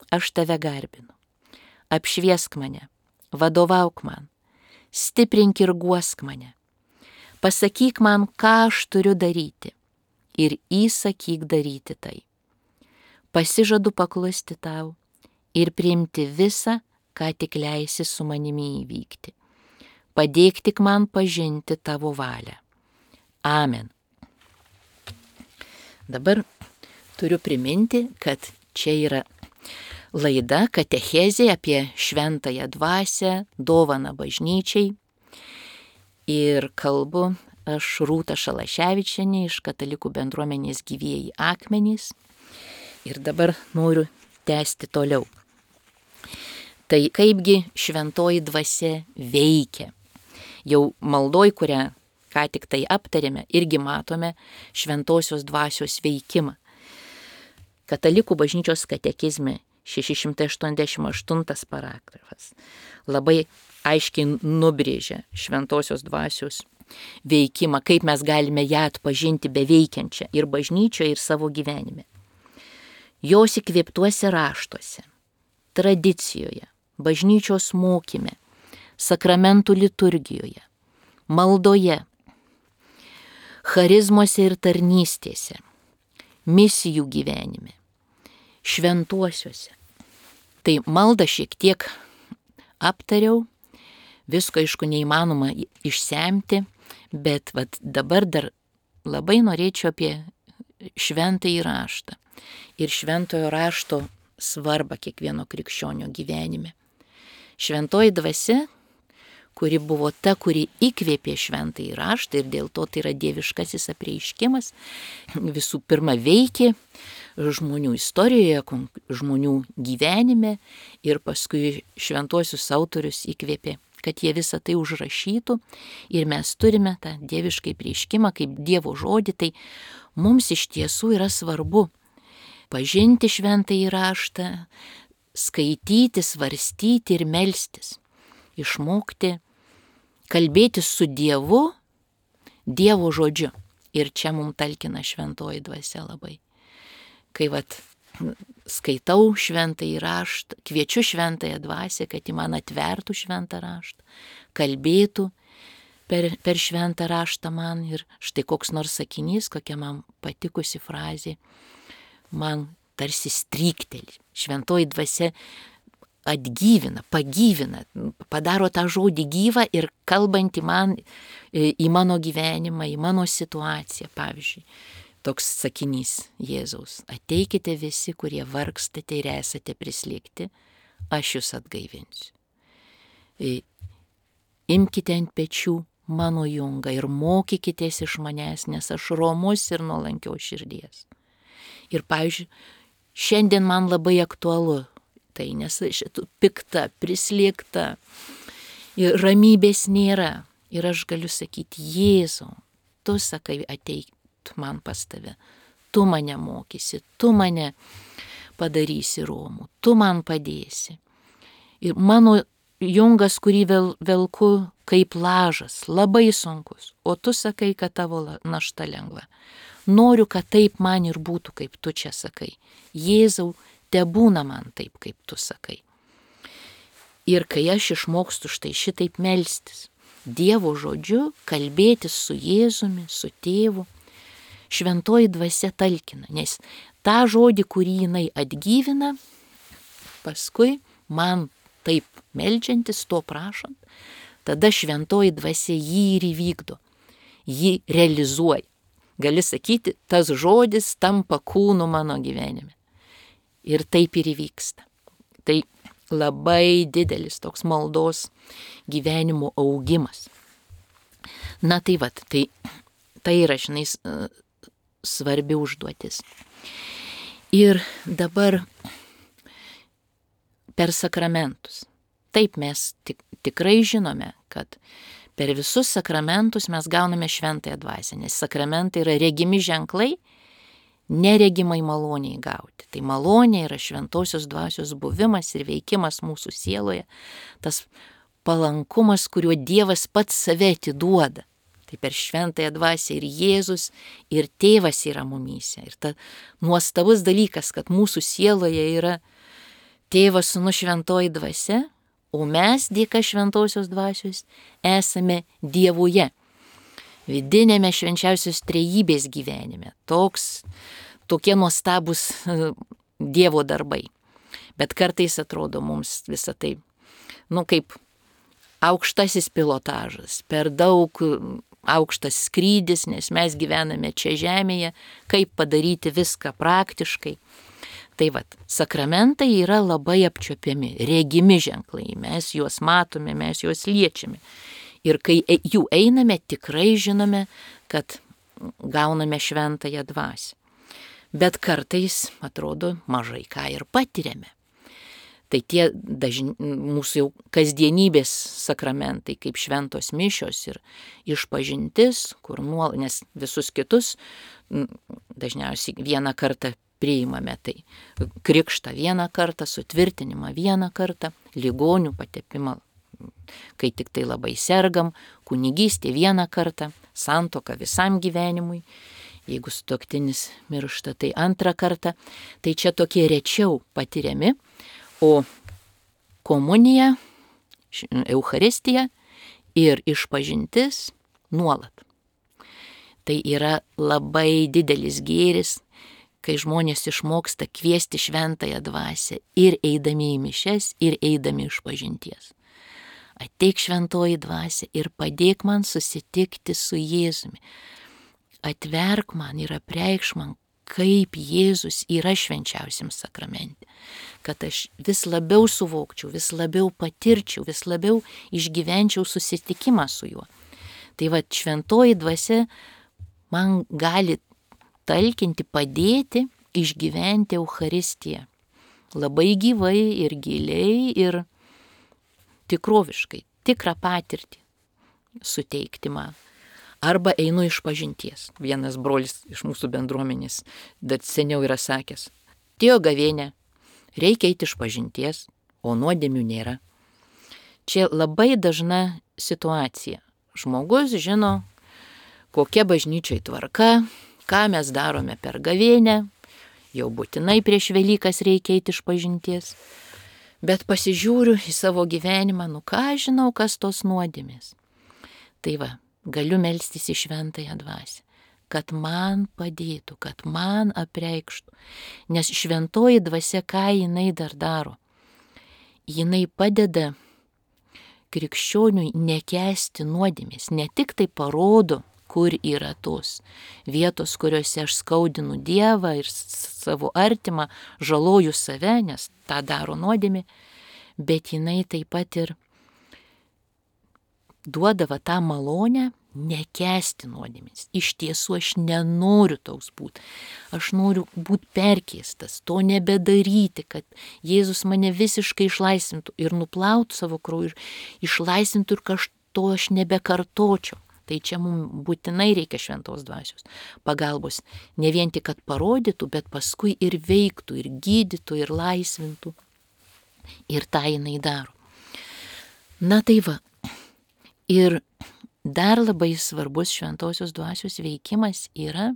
aš tave garbinu. Apšviesk mane, vadovauk man, stiprink ir guosk mane. Pasakyk man, ką aš turiu daryti, ir įsakyk daryti tai. Pasižadu paklusti tau ir priimti visą, ką tik leisi su manimi įvykti. Padėk tik man pažinti tavo valią. Amen. Dabar turiu priminti, kad Čia yra laida katechezė apie šventąją dvasią, dovaną bažnyčiai. Ir kalbu aš Rūta Šalaševičienė iš Katalikų bendruomenės Gyvieji akmenys. Ir dabar noriu tęsti toliau. Tai kaipgi šventoji dvasia veikia. Jau maldoj, kurią ką tik tai aptarėme, irgi matome šventosios dvasios veikimą. Katalikų bažnyčios katekizme 688 paragrafas labai aiškiai nubrėžia šventosios dvasios veikimą, kaip mes galime ją atpažinti beveikiančią ir bažnyčioje, ir savo gyvenime. Jos įkvėptuose raštuose, tradicijoje, bažnyčios mokyme, sakramentų liturgijoje, maldoje, charizmose ir tarnystėse, misijų gyvenime, šventuosiuose. Tai maldą šiek tiek aptariau, visko aišku neįmanoma išsemti, bet dabar dar labai norėčiau apie šventąjį raštą ir šventojo rašto svarbą kiekvieno krikščionio gyvenime. Šventoji dvasia, kuri buvo ta, kuri įkvėpė šventąjį raštą ir dėl to tai yra dieviškasis apreiškimas, visų pirma veikė žmonių istorijoje, žmonių gyvenime ir paskui šventuosius autorius įkvėpė, kad jie visą tai užrašytų ir mes turime tą dieviškai apreiškimą kaip Dievo žodį, tai mums iš tiesų yra svarbu pažinti šventąjį raštą, skaityti, svarstyti ir melstis, išmokti kalbėti su Dievu, Dievo žodžiu. Ir čia mums talkina šventoji dvasia labai. Kai skaitau šventąjį raštą, kviečiu šventąją dvasią, kad ji man atvertų šventą raštą, kalbėtų per šventą raštą man ir štai koks nors sakinys, kokia man patikusi frazė, man tarsi strykteli. Šventoji dvasia atgyvina, pagyvina, padaro tą žodį gyvą ir kalbantį man į mano gyvenimą, į mano situaciją. Pavyzdžiui, toks sakinys Jėzaus: ateikite visi, kurie vargstate ir esate prislėgti, aš jūs atgaivinsiu. Imkite ant pečių mano jungą ir mokykitės iš manęs, nes aš romus ir nuolankios širdies. Ir pavyzdžiui, šiandien man labai aktualu tai, nes šitų pikta, prislėgta ir ramybės nėra. Ir aš galiu sakyti: Jėzau, tu sakai, ateik man pas tave, tu mane mokysi, tu mane padarysi romų, tu man padėsi. Ir mano jungas, kurį velku kaip lažas, labai sunkus, o tu sakai, kad tavo našta lengva. Noriu, kad taip man ir būtų, kaip tu čia sakai. Jėzau, te būna man taip, kaip tu sakai. Ir kai aš išmokstu štai šitaip melstis, Dievo žodžiu, kalbėtis su Jėzumi, su tėvu, šventoji dvasia talkina, nes tą žodį, kurį jinai atgyvina, paskui man taip meldžiantis, to prašant, tada šventoji dvasia jį ir įvykdo, jį realizuoja. Gali sakyti, tas žodis tampa kūnu mano gyvenime. Ir taip ir įvyksta. Tai labai didelis toks maldos gyvenimo augimas. Na tai tai yra, žinai, svarbi užduotis. Ir dabar per sakramentus. Taip mes tikrai žinome, kad per visus sakramentus mes gauname šventąją dvasią, nes sakramentai yra regimi ženklai, neregimai maloniai gauti. Tai malonė yra šventosios dvasios buvimas ir veikimas mūsų sieloje, tas palankumas, kuriuo Dievas pats save atiduoda. Tai per šventąją dvasią ir Jėzus, ir Tėvas yra mumyse. Ir ta nuostabus dalykas, kad mūsų sieloje yra Tėvas, Sūnus, šventoji dvasia, o mes dėka šventosios dvasios esame Dievuje. Vidinėme švenčiausios trejybės gyvenime. Tokie nuostabus Dievo darbai. Bet kartais atrodo mums visą tai, kaip aukštasis pilotažas, per daug aukštas skrydis, nes mes gyvename čia žemėje, kaip padaryti viską praktiškai. Tai vat, sakramentai yra labai apčiuopiami, regimi ženklai, mes juos matome, mes juos liečiame. Ir kai jų einame, tikrai žinome, kad gauname šventąją dvasią. Bet kartais, atrodo, mažai ką ir patiriame. Tai tie mūsų jau kasdienybės sakramentai, kaip šventos mišios ir išpažintis, nes visus kitus dažniausiai vieną kartą priimame, tai krikštą vieną kartą, sutvirtinimą vieną kartą, ligonių patepimą, kai tik tai labai sergam, kunigystė vieną kartą, santuoka visam gyvenimui, jeigu sutuoktinis miršta, tai antrą kartą, tai čia tokie rečiau patiriami, o komunija, Eucharistija ir išpažintis nuolat. Tai yra labai didelis gėris, kai žmonės išmoksta kviesti šventąją dvasią ir eidami į mišias, ir eidami išpažinties. Ateik šventoji dvasia ir padėk man susitikti su Jėzumi. Atverk man ir apreikš man, kaip Jėzus yra švenčiausiam sakramente. Kad aš vis labiau suvokčiau, vis labiau patirčiau, vis labiau išgyvenčiau susitikimą su juo. Tai va, šventoji dvasia man gali talkinti, padėti išgyventi Eucharistiją. Labai gyvai ir giliai ir tikroviškai, tikrą patirtį suteikti man. Arba einu išpažinties. Vienas brolis iš mūsų bendruomenės, dar seniau yra sakęs, atėjo gavėnė, reikia eiti išpažinties, o nuodėmių nėra. Čia labai dažna situacija. Žmogus žino, kokia bažnyčiai tvarka, ką mes darome per gavėnę, jau būtinai prieš Velykas reikia eiti išpažinties. Bet pasižiūriu į savo gyvenimą, ką žinau, kas tos nuodėmės. Tai va, galiu melstis į šventąją dvasią, kad man padėtų, kad man apreikštų. Nes šventoji dvasia, ką jinai dar daro? Jinai padeda krikščioniui nekęsti nuodėmės, ne tik tai parodo, kur yra tos vietos, kuriuose aš skaudinu Dievą ir savo artimą, žaloju save, nes tą daro nuodėmė, bet jinai taip pat ir duodava tą malonę nekęsti nuodėmės. Iš tiesų aš nenoriu toks būti. Aš noriu būti perkeistas, to nebedaryti, kad Jėzus mane visiškai išlaisvintų ir nuplautų savo krauju, išlaisvintų ir kažto aš nebekartočiau. Tai čia mums būtinai reikia šventos dvasios pagalbos. Ne vien tik, kad parodytų, bet paskui ir veiktų, ir gydytų, ir laisvintų. Ir tą jinai daro. Na tai va. Ir dar labai svarbus šventosios dvasios veikimas yra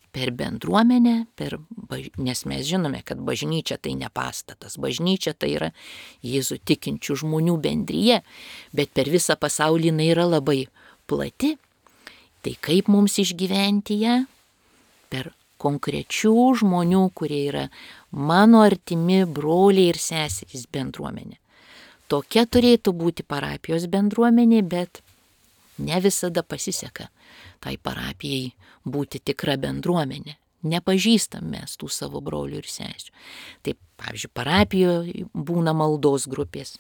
per bendruomenę, nes mes žinome, kad bažnyčia tai ne pastatas, bažnyčia tai yra Jėzų tikinčių žmonių bendryje, bet per visą pasaulį jinai yra labai plati. Tai kaip mums išgyventi ją? Per konkrečių žmonių, kurie yra mano artimi broliai ir seserys bendruomenė. Tokia turėtų būti parapijos bendruomenė, bet ne visada pasiseka tai parapijai būti tikra bendruomenė. Nepažįstam mes tų savo brolių ir sesių. Taip, pavyzdžiui, parapijoje būna maldos grupės.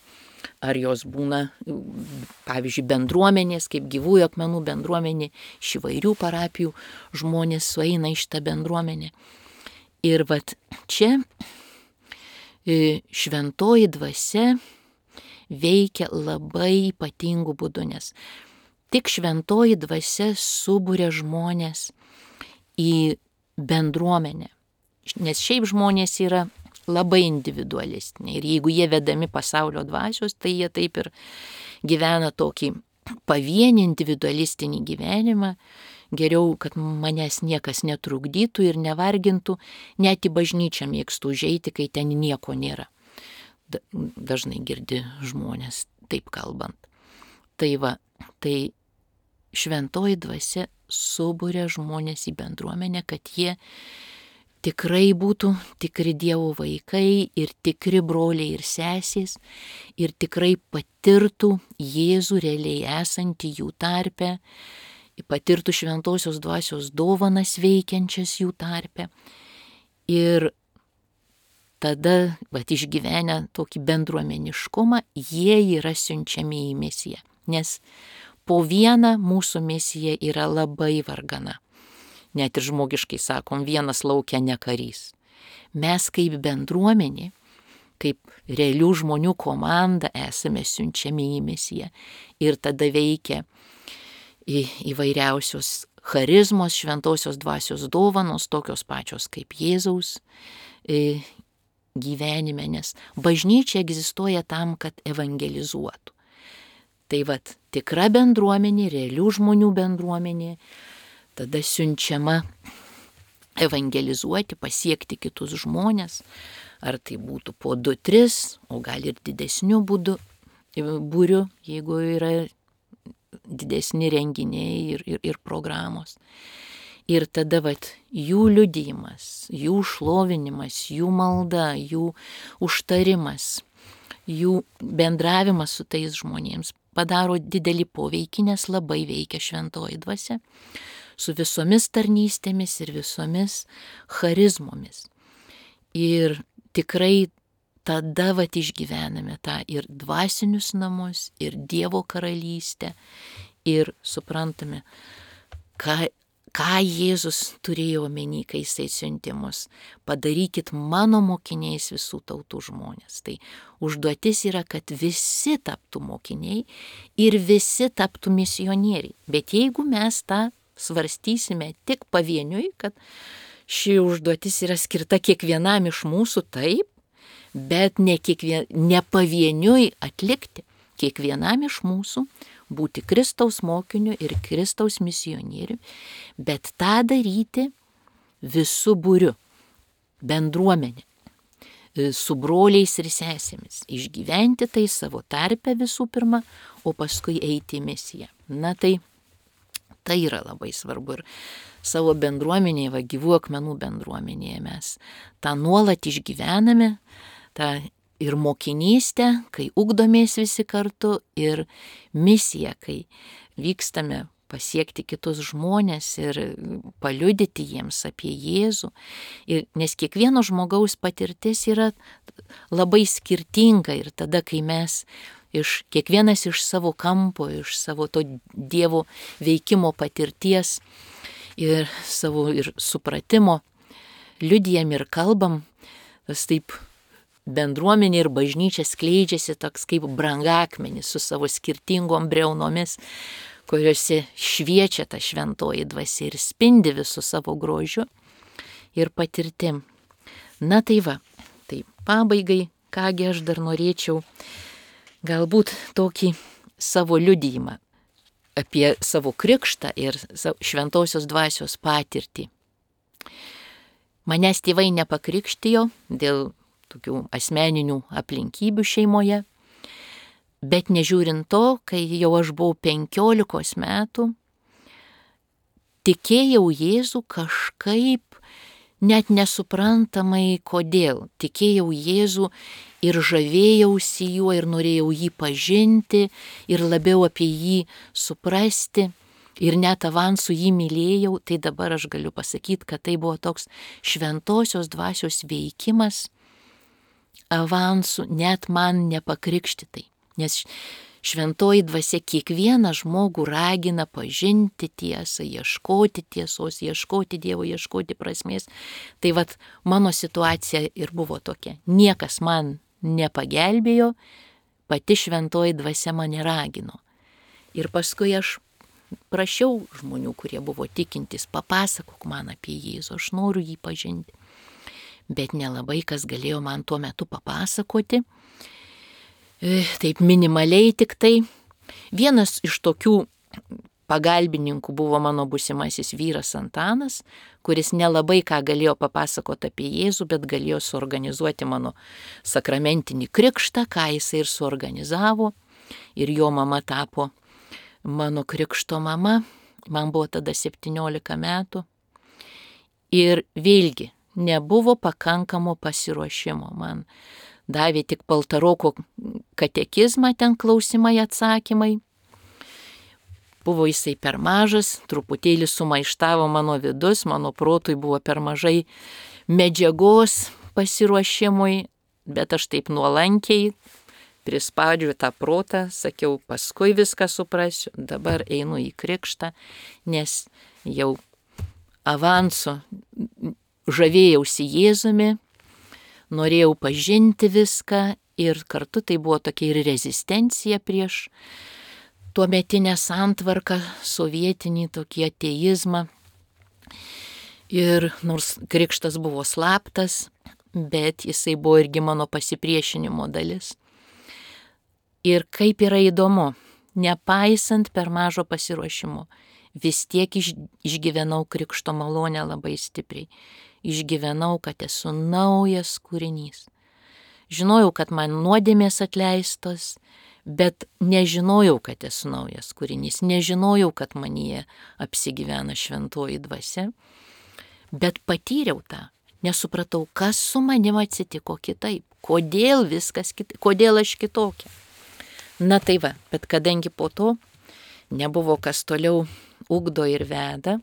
Ar jos būna, pavyzdžiui, bendruomenės, kaip Gyvųjų akmenų bendruomenė, iš įvairių parapijų žmonės sueina iš tą bendruomenę. Ir vat čia šventoji dvasia veikia labai ypatingų būdų, nes tik šventoji dvasia suburia žmonės į bendruomenę. Nes šiaip žmonės yra labai individualistiniai ir jeigu jie vedami pasaulio dvasios, tai jie taip ir gyvena tokį pavienį individualistinį gyvenimą. Geriau, kad manęs niekas netrukdytų ir nevargintų, net į bažnyčią mėgstu užeiti, kai ten nieko nėra. Dažnai girdi žmonės taip kalbant. Tai va, tai šventoji dvasia suburia žmonės į bendruomenę, kad jie tikrai būtų tikri Dievo vaikai ir tikri broliai ir sesės ir tikrai patirtų Jėzų realiai esantį jų tarpe, patirtų šventosios dvasios dovanas veikiančias jų tarpe Ir tada, išgyvenę tokį bendruomeniškumą, jie yra siunčiami į misiją. Nes po vieną mūsų misija yra labai vargana. Net ir žmogiškai sakom, vienas laukia ne karys. Mes kaip bendruomenė, kaip realių žmonių komanda esame siunčiami į misiją. Ir tada veikia įvairiausios charizmos, šventosios dvasios dovanos, tokios pačios kaip Jėzaus gyvenime, nes bažnyčia egzistuoja tam, kad evangelizuotų. Tai tikra bendruomenė, realių žmonių bendruomenė, tada siunčiama evangelizuoti, pasiekti kitus žmonės, ar tai būtų po 2-3, o gal ir didesniu būriu, jeigu yra didesni renginiai ir programos. Ir tada jų liudijimas, jų šlovinimas, jų malda, jų užtarimas, jų bendravimas su tais žmonėms padaro didelį poveikį, nes labai veikia šventoji dvasia su visomis tarnystėmis ir visomis charizmomis. Ir tikrai tada išgyvename tą ir dvasinius namus, ir Dievo karalystę, ir suprantame, ką Jėzus turėjo omeny, kai jisai siuntė mus. Padarykit mano mokiniais visų tautų žmonės. Tai užduotis yra, kad visi taptų mokiniai ir visi taptų misionieriai. Bet jeigu mes tą svarstysime tik pavieniui, kad ši užduotis yra skirta kiekvienam iš mūsų, taip, bet ne pavieniui atlikti, kiekvienam iš mūsų būti Kristaus mokiniu ir Kristaus misionieriu, bet tą daryti visų būriu, bendruomenė, su broliais ir sesėmis, išgyventi tai savo tarpe visų pirma, o paskui eiti į misiją. Na tai yra labai svarbu ir savo bendruomenėje, Gyvų akmenų bendruomenėje mes tą nuolat išgyvename, tą ir mokinystę, kai ugdomės visi kartu, ir misiją, kai vykstame pasiekti kitus žmonės ir paliudyti jiems apie Jėzų. Nes kiekvieno žmogaus patirtis yra labai skirtinga ir tada, kai mes kiekvienas iš savo kampo, iš savo to Dievo veikimo patirties ir savo ir supratimo liudijam ir kalbam, tas taip bendruomenė ir bažnyčia skleidžiasi toks kaip brangakmenis su savo skirtingom briaunomis, kuriuose šviečia ta šventoji dvasia ir spindi visų savo grožiu ir patirtim. Na tai tai pabaigai, kągi aš dar norėčiau galbūt tokį savo liudijimą apie savo krikštą ir šventosios dvasios patirtį. Manęs tėvai nepakrikštijo dėl tokių asmeninių aplinkybių šeimoje, bet nežiūrint to, kai jau aš buvau 15 metų, tikėjau Jėzų kažkaip net nesuprantamai kodėl. Tikėjau Jėzų ir žavėjausi juo ir norėjau jį pažinti ir labiau apie jį suprasti ir net avansų jį mylėjau. Tai dabar aš galiu pasakyti, kad tai buvo toks šventosios dvasios veikimas avansų net man nepakrikštitai. Nes šventoji dvasia kiekvieną žmogų ragina pažinti tiesą, ieškoti tiesos, ieškoti Dievo, ieškoti prasmės. Tai mano situacija ir buvo tokia. Niekas man nepagelbėjo, pati šventoji dvasia mane ragino. Ir paskui aš prašiau žmonių, kurie buvo tikintys, papasakok man apie Jėzų, aš noriu jį pažinti. Bet nelabai kas galėjo man tuo metu papasakoti. Taip minimaliai tik tai. Vienas iš tokių pagalbininkų buvo mano būsimasis vyras Antanas, kuris nelabai ką galėjo papasakoti apie Jėzų, bet galėjo suorganizuoti mano sakramentinį krikštą, ką jisai ir suorganizavo. Ir jo mama tapo mano krikšto mama. Man buvo tada 17 metų. Ir vėlgi nebuvo pakankamo pasiruošimo. Man davė tik Paltaroko katekizmą, ten klausimai, atsakymai. Buvo jisai per mažas, truputėlį sumaištavo mano vidus, mano protui buvo per mažai medžiagos pasiruošimui, bet aš taip nuolankiai prispaudžiu tą protą, sakiau, paskui viską suprasiu, dabar einu į krikštą, nes jau avansu žavėjausi Jėzumi, norėjau pažinti viską ir kartu tai buvo tokia ir rezistencija prieš tuometinę santvarką, sovietinį tokį ateizmą. Ir nors krikštas buvo slaptas, bet jisai buvo irgi mano pasipriešinimo dalis. Ir kaip yra įdomu, nepaisant per mažo pasiruošimo, vis tiek išgyvenau krikšto malonę labai stipriai. Išgyvenau, kad esu naujas kūrinys. Žinojau, kad man nuodėmės atleistos, bet nežinojau, kad esu naujas kūrinys. Nežinojau, kad manyje apsigyvena šventoji dvasia, bet patyriau tą. Nesupratau, kas su manim atsitiko kitaip, kodėl viskas kitaip, kodėl aš kitokia. Na tai va, bet kadangi po to nebuvo kas toliau ugdo ir veda,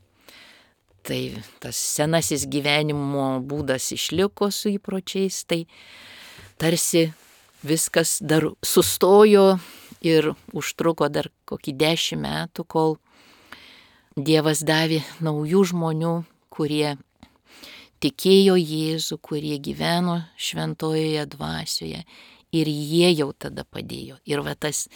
tai tas senasis gyvenimo būdas išliko su įpročiais, tai tarsi viskas dar sustojo ir užtruko dar kokį 10 metų, kol Dievas davė naujų žmonių, kurie tikėjo Jėzų, kurie gyveno šventojoje dvasioje ir jie jau tada padėjo. Ir va tas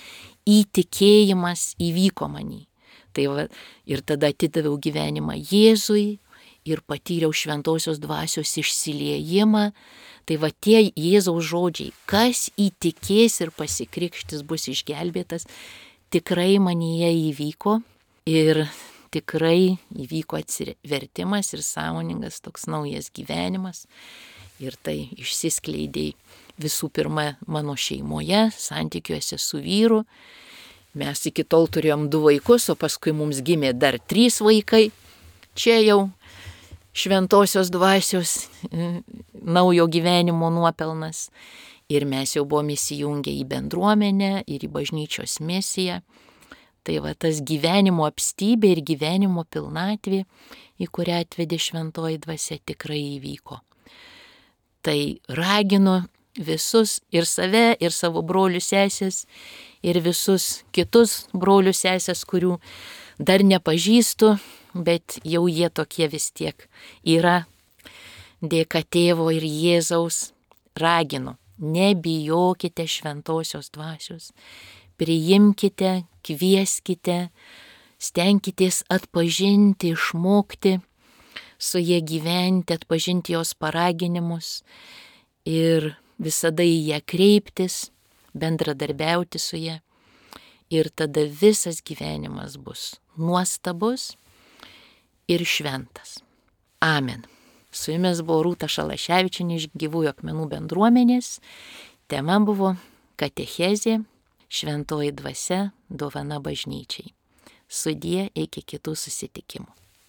įtikėjimas įvyko manį. Tai va, ir tada atidaviau gyvenimą Jėzui ir patyriau šventosios dvasios išsiliejimą. Tai va tie Jėzaus žodžiai, kas įtikės ir pasikrikštis bus išgelbėtas, tikrai manyje įvyko ir tikrai įvyko atsivertimas ir sąmoningas toks naujas gyvenimas. Ir tai išsiskleidė visų pirma mano šeimoje, santykiuose su vyru. Mes iki tol turėjom 2 vaikus, o paskui mums gimė dar 3 vaikai. Čia jau šventosios dvasios naujo gyvenimo nuopelnas. Ir mes jau buvom įsijungę į bendruomenę ir į bažnyčios misiją. Tai va tas gyvenimo apstybė ir gyvenimo pilnatvė, į kurią atvedė šventoji dvasia, tikrai įvyko. Tai raginu visus ir save, ir savo brolius sesės, ir visus kitus brolius sesės, kurių dar nepažįstu, bet jau jie tokie vis tiek yra. Dėka Tėvo ir Jėzaus raginu, nebijokite šventosios dvasios. Priimkite, kvieskite, stenkitės atpažinti, išmokti su jie gyventi, atpažinti jos paraginimus ir visada į ją kreiptis, bendradarbiauti su ją. Ir tada visas gyvenimas bus nuostabus ir šventas. Amen. Su jumis buvo Rūta Šalaševičienė iš Gyvųjų akmenų bendruomenės. Tema buvo katechezė. Šventoji dvasia dovana bažnyčiai. Sudie, iki kitų susitikimų.